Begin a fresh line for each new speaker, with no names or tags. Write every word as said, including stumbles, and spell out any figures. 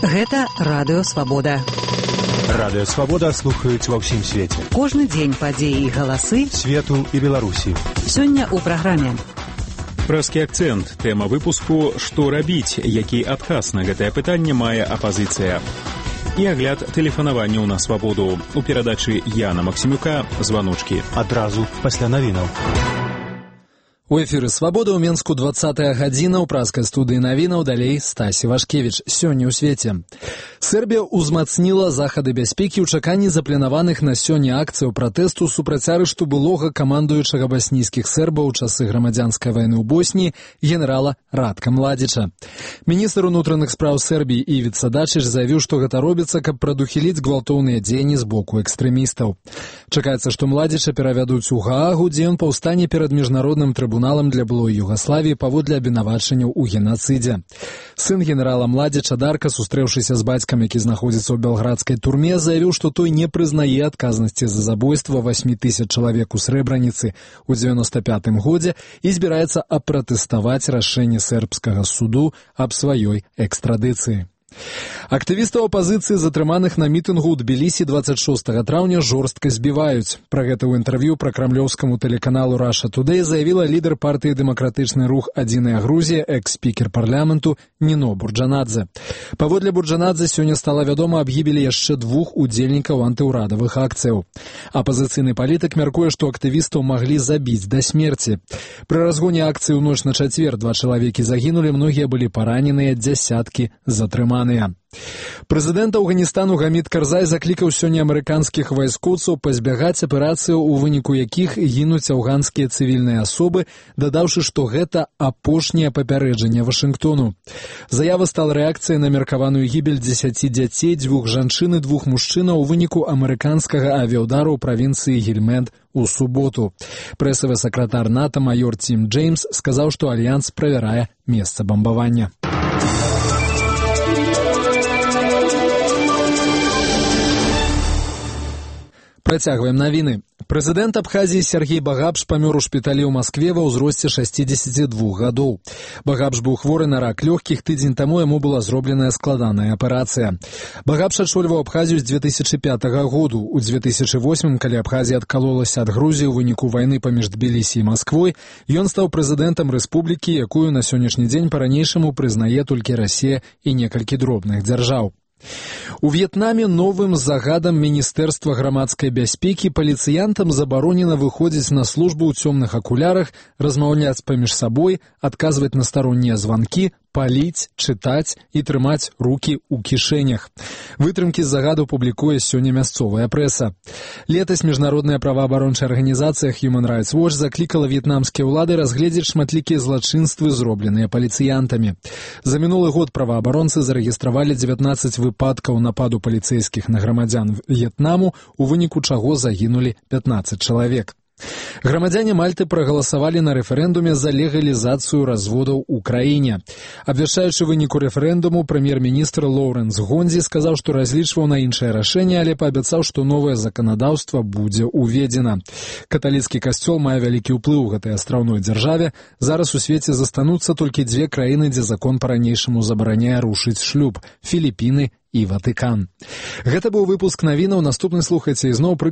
Гэта Радыё Свабода.
Радыё Свабода слухаюць ва ўсім свеце.
Кожны дзень падзеі і галасы
свету і Беларусі.
Сёння ў праграме.
Прэскі акцэнт. Тэма выпуску «Што рабіць?», які адказ на гэтае пытанне мае апазіцыя. І агляд тэлефанавання на Свабоду. У перадачы Яна Максімюка «Званочкі».
Адразу пасля навінаў.
У эфіры «Свабода» ў Менску двадцатая гадзіна, ў праскай студыі навінаў, далей Стасі Вашкевіч. Сёння ў свеце. Сербія ўзмацніла захады бяспекі ў чаканні запланаваных на сёння акцыяў пратэсту супраць арышту былога камандуючага баснійскіх сербаў у часы грамадзянскай вайны ў Босніі генерала Радка Младзіча. Міністр унутраных спраў Сербіі Івіца Дачыч заявіў, што гэта робіцца, каб прадухіліць гвалтоўныя дзеянні з боку экстрэмістаў. Чакаецца, што Младзіча перавядуць у Гаагу, дзе ён паўстане перад міжнародным трыбуналам для былой Югаславіі паводле абвінавачанняў у генацыдзе. Сын генерала Младзіча Дарка, сустрэўшыся з бацькам, які знаходзіцца ў белградскай турме, заявіў, што той не прызнае адказнасці за забойства васьмі тысяч чалавек у Срэбраніцы ў дзевяноста пятым годзе і збіраецца апратэставаць рашэнне сербскага суду аб сваёй экстрадыцыі. Актывістаў апазіцыі, затрыманых на мітынгу ў Тбілісі дваццаць шостага траўня, жорстка збіваюць. Пра гэта ў інтэрв'ю пракрамлёўскаму тэлеканалу Russia Today заявіла лідар партыі «Дэмакратычны рух Адзіная Грузія», экс-спікер парламенту Ніно Бурджанадзе. Паводле Бурджанадзе сёння стала вядома аб гібелі яшчэ двух удзельнікаў антыўрадавых акцыяў. Апазіцыйны палітык мяркуе, што актывістаў маглі забіць да смерці. Пры разгоне акцыі ў ноч на чацвер два чалавекі загінулі, многія былі параненыя, дзясяткі затрыманыя. Прэзідэнт Афганістану Гамід Карзай заклікаў сёння амерыканскіх вайскоўцаў пазбягаць аперацыяў, у выніку якіх гінуць афганскія цывільныя асобы, дадаўшы, што гэта апошняе папярэджанне Вашынгтону. Заява стала рэакцыяй на меркаваную гібель дзесяці дзяцей, дзвюх жанчын і двух мужчынаў у выніку амерыканскага авіяўдару ў правінцыі Гельмэнд у суботу. Прэсавы сакратар НАТО майор Тім Джеймс сказаў, што альянс правярае месца бамбавання. Працягваем навіны. Прэзідэнт Абхазіі Сергей Багапш памёр у шпіталі ў Маскве ва ўзросце шасцідзесяці двух гадоў. Багапш быў хворы на рак лёгкіх, тыдзень таму яму была зробленая складаная аперацыя. Багапш ачольваў Абхазію з дзве тысячы пятага году. У дзве тысячы восьмым, калі Абхазія адкалолася ад Грузіі ў выніку вайны паміж Тбілісі і Масквой, ён стаў прэзідэнтам рэспублікі, якую на сённяшні дзень па-ранейшаму прызнае толькі Расія і некалькі дробных дзяржаў. У В'етнаме новым загадам Міністэрства грамадскай бяспекі паліцыянтам забаронена выходзіць на службу ў цёмных акулярах, размаўляць паміж сабой, адказваць на староннія званкі, паліць, чытаць і трымаць рукі ў кішэнях. Вытрымкі з загаду публікуе сёння мясцовая прэса. Летась міжнародная праваабарончая арганізацыя Human Rights Watch заклікала в'етнамскія ўлады разгледзець шматлікія злачынствы, зробленыя паліцыянтамі. За мінулы год праваабаронцы зарэгістравалі дзевятнаццаць выпадкаў нападу паліцэйскіх на грамадзян В'етнаму, у выніку чаго загінулі пятнаццаць чалавек. Грамадзяне Мальты прагаласавалі на рэферэндуме за легалізацыю разводаў у краіне. Абвяшчаючы выніку рэферэндуму, прэм'ер-міністр Лоўрэнс Гондзі сказаў, што разлічваў на іншае рашэнне, але паабяцаў, што новае заканадаўства будзе ўведзена. Каталіцкі касцёл мае вялікі ўплыў у гэтай астраўной дзяржаве. Зараз у свеце застануцца толькі дзве краіны, дзе закон па-ранейшаму забараняе рушыць шлюб – Філіпіны і Ватыкан. Гэта быў выпуск навінаў. Наступны слухайце ізноў пры